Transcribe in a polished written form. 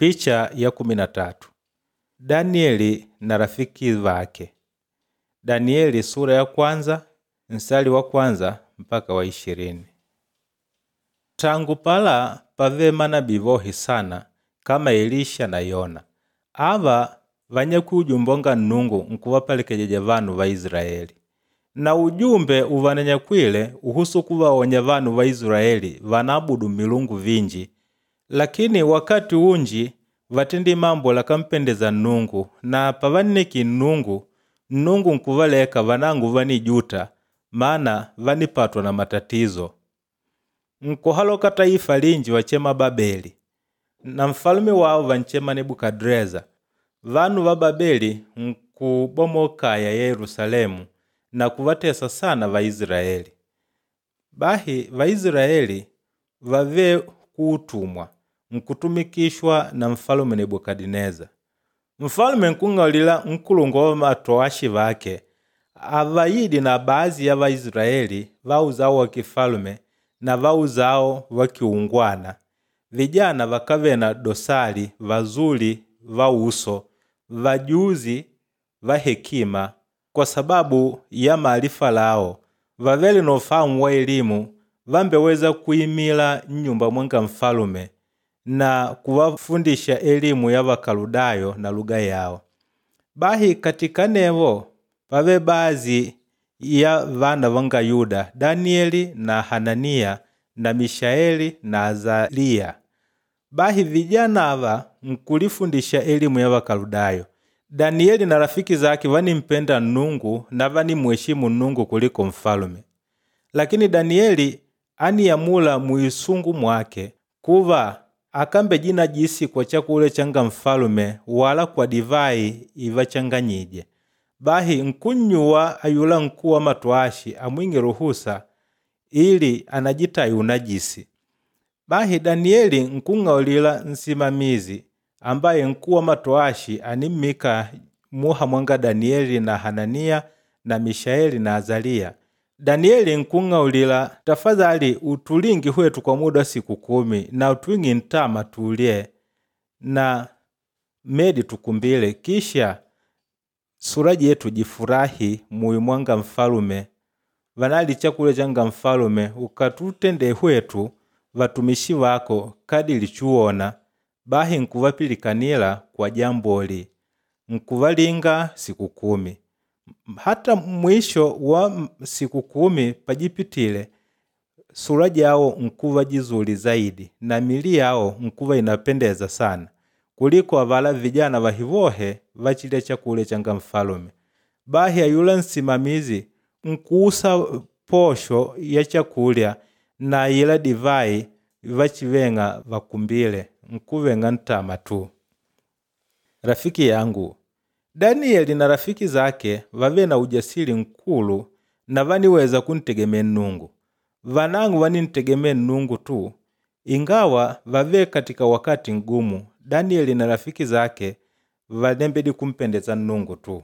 Picha ya 13. Danieli na rafiki vake. Danieli sura ya kwanza nsali wa kwanza mpaka wa 20. Tangu pala pave manabii vohi sana kama Elisha na Yona. Ava vanyakwi Nnungu nkuvapelekejeja vanu va Israeli. Na ujumbe uvananyakwile uhusu kuvaonya vanu va Israeli vanaabudu milungu vinji. Lakini wakati unji vatendi mambo lakampendeza Nnungu na pavanneki Nnungu, Nnungu nkuvaleka vanangu vanijuta maana vanipatwa na matatizo. Nkuhaloka taifa linji vachema Babeli na mfalume wao vanchema Nebukadreza. Vanu va Babeli nkubomokaya Yerusalemu na kuvatesa sana Vaisraeli. Bahi Vaisraeli vave kuutumwa nkutumikishwa na mfalume Nebukadineza. Mfalume nkung'aulila nkulongo wa matowashi vake avayidi na baadhi ya Vaisraeli va uzao wa kifalume na va uzao wa kiungwana, vijana vakave na dosari, vazuli va uso, vajuzi va hekima, kwa sababu ya maarifa lao vavele na ufahamu wa elimu, vambeweza kuimila nnyumba mwanga mfalume na kuwafundisha elimu ya Vakaludayo na lugha yao. Bahi katika nevo pave baadhi ya vana vanga Yuda, Danieli na Hananiya na Mishaeli na Azaliya. Bahi vijana ava nkulifundisha elimu ya Vakaludayo. Danieli na rafiki zake vanimpenda Nnungu na vanimuheshimu Nnungu kuliko mfalume. Lakini Danieli aniyamula muisungu mwake kuva akambe jina jisi kwa chakula changa mfalume wala kwa divai ivachanganyije. Bahi nkunnyuwa ayula nkuu wa matwashi amwinge ruhusa ili anajitayi unajisi. Bahi Danieli nkung'aulila nsimamizi ambaye nkuu wa matoashi animmika muha mwanga Danieli na Hananiya na Mishaeli na Azaliya. Danieli nkung'aulila, tafadhali utulingi hwetu kwa muda wa siku 10 na utwingi ntama tulye na medi tukumbile, kisha sura jetu jifurahi muyu mwanga mfalume, vanali chakula changa mfalume, ukatutende hwetu vatumishi vako kadili chuona. Bahi nkuvapilikanila kwa jamboli, nkuvalinga siku 10. Hata mwisho wa siku 10 pajipitile, sura jao nkuva jizuli zaidi na mili yao nkuva inapendeza sana kuliko avala vijana vahivohe vachilya chakula changa mfalume. Bahi ayula nsimamizi nkuusa posho ya chakulya na ila divai vachivenga vakumbile, nkuvenga ntama tu. Rafiki yangu Danieli na rafiki zake vave na ujasiri nkulu na vaniweza kuntegemea Nnungu. Vanangu vanintegemea Nnungu tu, ingawa vave katika wakati ngumu. Danieli na rafiki zake vanembedi kumpendeza Nnungu tu.